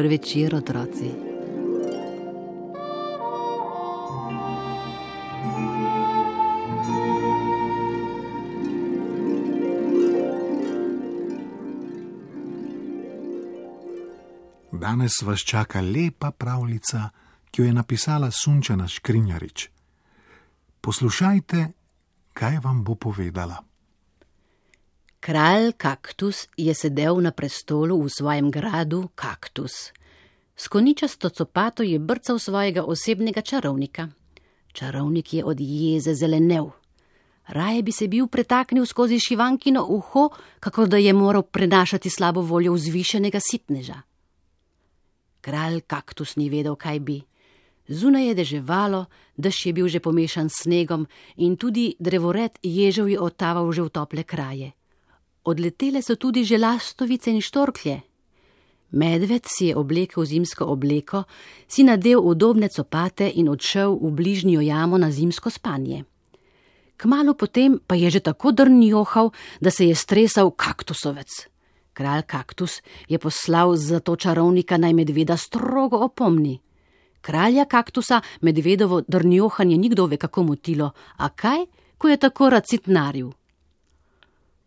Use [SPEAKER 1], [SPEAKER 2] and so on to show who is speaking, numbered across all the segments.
[SPEAKER 1] Dober večer, otroci.
[SPEAKER 2] Danes vas čaka lepa pravljica, ki jo je napisala Sunčana Škrinjarič. Poslušajte, kaj vam bo povedala.
[SPEAKER 1] Kralj Kaktus je sedel na prestolu v svojem gradu Kaktus. S koničasto copato je brcal svojega osebnega čarovnika. Čarovnik je od jeze zelenel. Raje bi se bil pretaknil skozi šivankino uho, kakor da je moral prenašati slabo voljo vzvišenega sitneža. Kralj Kaktus ni vedel, kaj bi. Zunaj je deževalo, dež je bil že pomešan s snegom in tudi drevored ježev je otaval že v tople kraje. Odletele so tudi že lastovice in štorklje. Medved si je oblekel zimsko obleko, si nadel udobne copate in odšel v bližnjo jamo na zimsko spanje. Kmalu potem pa je že tako drnjohal, da se je stresal kaktusovec. Kralj Kaktus je poslal za to čarovnika naj medveda strogo opomni. Kralja Kaktusa medvedovo drnjohanje nikdo ve kako motilo, a kaj, ko je tako rad sitnaril.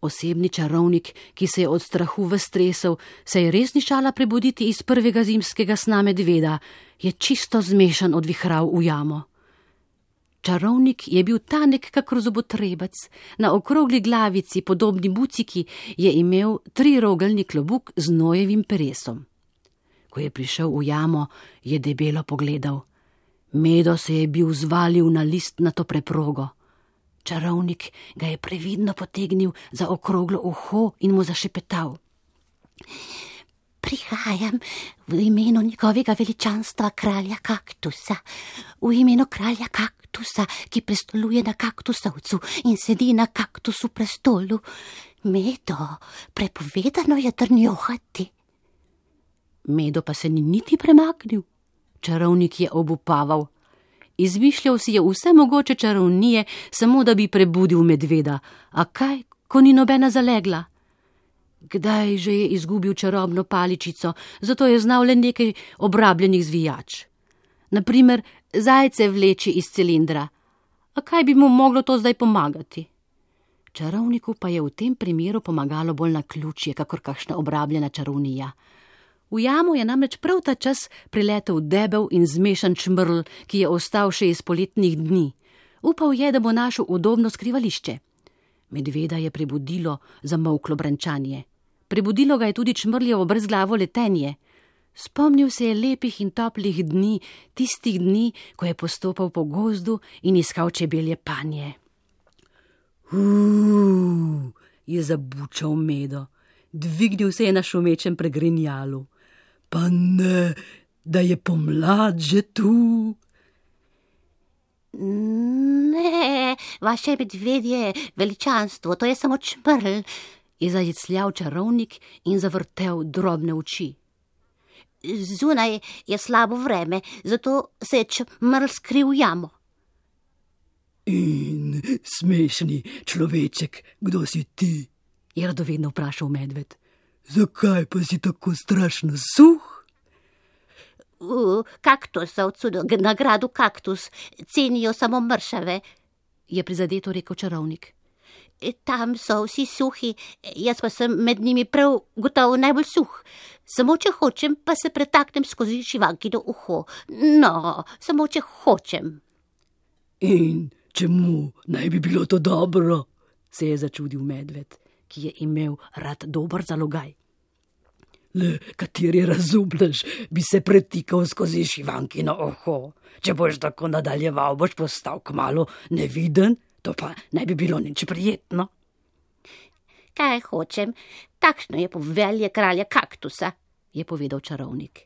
[SPEAKER 1] Osebni čarovnik, ki se je od strahu ves tresel, se je res ni šala prebuditi iz prvega zimskega sna medveda, je čisto zmešan odvihral v jamo. Čarovnik je bil tanek kakor zobotrebec, na okrogli glavici, podobni buciki, je imel 3-rogeljni klobuk z nojevim peresom. Ko je prišel v jamo, je debelo pogledal. Medo se je bil zvalil na listnato preprogo. Čarovnik ga je previdno potegnil za okroglo uho in mu zašepetal. Prihajam v imenu njegovega veličanstva kralja Kaktusa, v imenu kralja Kaktusa, ki prestoluje na kaktusovcu in sedi na kaktusu prestolu. Medo, prepovedano je drnjohati. Medo pa se ni niti premaknil. Čarovnik je obupaval. Izmišljal si je vse mogoče čarovnije, samo da bi prebudil medveda. A kaj, ko ni nobena zalegla? Kdaj že je izgubil čarobno paličico, zato je znal le nekaj obrabljenih zvijač. Naprimer, zajce vleči iz cilindra. A kaj bi mu moglo to zdaj pomagati? Čarovniku pa je v tem primeru pomagalo bolj naključje, kakor kakšna obrabljena čarovnija. V jamo je namreč prav ta čas priletel debel in zmešan čmrl, ki je ostal še iz poletnih dni. Upal je, da bo našel udobno skrivališče. Medveda je prebudilo zamolklo brenčanje. Prebudilo ga je tudi čmrljevo brezglavo letenje. Spomnil se je lepih in toplih dni, tistih dni, ko je postopal po gozdu in iskal čebelje panje. Je zabučal Medo. Dvignil se je na šumečem pregrinjalu. Pa ne, da je pomlad že tu. Ne, vaše medvedje veličanstvo, to je samo čmrl, je zajecljal čarovnik in zavrtel drobne oči. Zunaj je slabo vreme, zato se je čmrl skril v jamo. In smešni človeček, kdo si ti? Je radovedno vprašal medved. Zakaj pa si tako strašno suh? V kaktusovcu na gradu Kaktus cenijo samo mršave, je prizadeto rekel čarovnik. Tam so vsi suhi, jaz pa sem med njimi prav gotovo najbolj suh. Samo če hočem, pa se pretaknem skozi šivankino uho. No, samo če hočem. In čemu naj bi bilo to dobro? Se je začudil medved, ki je imel rad dober zalogaj. Le kateri razumnež bi se pretikal skozi šivankino uho. Če boš tako nadaljeval, boš postal kmalu neviden, to pa ne bi bilo nič prijetno. Kaj hočem, takšno je povelje kralja Kaktusa, je povedal čarovnik.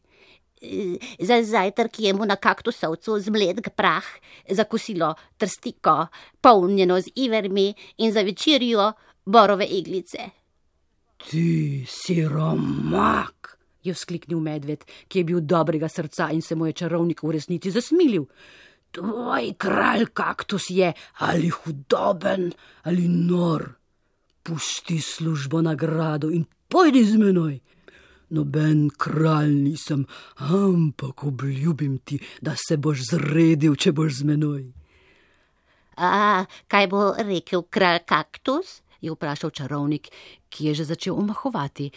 [SPEAKER 1] Za zajtrk jemo na kaktusovcu zmlet prah, za kosilo trstiko, polnjeno z ivermi in za večerjo borove iglice. Ti siromak, je vzkliknil medved, ki je bil dobrega srca in se mu je čarovnik v resnici zasmilil. Tvoj kralj Kaktus je ali hudoben ali nor. Pusti službo na gradu in pojdi z menoj.
[SPEAKER 3] Noben kralj nisem, ampak obljubim ti, da se boš zredil, če boš z menoj.
[SPEAKER 1] A kaj bo rekel kralj Kaktus? Je vprašal čarovnik, ki je že začel omahovati.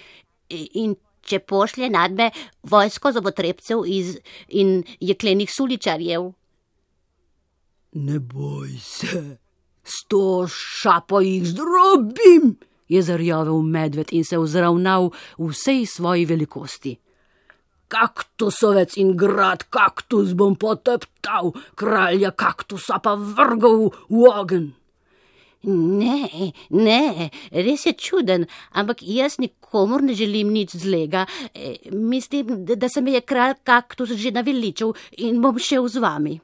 [SPEAKER 1] In če pošlje nadme vojsko zobotrebcev in jeklenih suličarjev?
[SPEAKER 3] Ne boj se, 100 šapo jih zdrobim, je zarjavel medved in se vzravnal v vsej svoji velikosti. Kaktusovec in grad Kaktus bom poteptal, kralja Kaktusa pa vrgal v ogenj.
[SPEAKER 1] Ne, res je čuden, ampak jaz nikomur ne želim nič zlega. Mislim, da se me je kralj Kaktus že naveličal in bom šel z vami.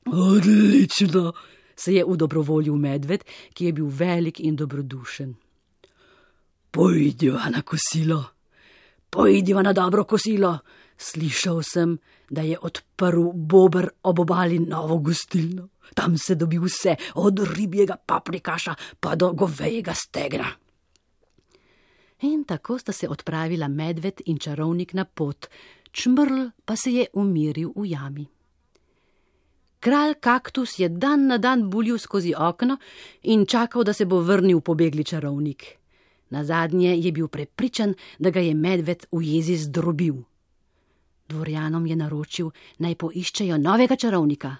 [SPEAKER 3] Odlično, se je udobrovoljil medved, ki je bil velik in dobrodušen. Pojdiva na kosilo, pojdiva na dobro kosilo. Slišal sem, da je odprl Bober ob obali novo gostilno. Tam se dobi vse, od ribjega paprikaša pa do govejega stegna.
[SPEAKER 1] In tako sta se odpravila medved in čarovnik na pot, Čmrl pa se je umiril v jami. Kralj Kaktus je dan na dan buljil skozi okno in čakal, da se bo vrnil pobegli čarovnik. Nazadnje je bil prepričan, da ga je medved v jezi zdrobil. Dvorjanom je naročil, naj poiščejo novega čarovnika.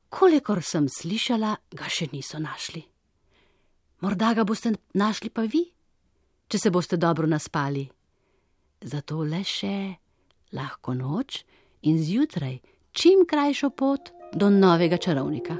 [SPEAKER 1] Kolikor sem slišala, ga še niso našli. Morda ga boste našli pa vi, če se boste dobro naspali. Zato le še lahko noč in zjutraj čim krajšo pot do novega čarovnika.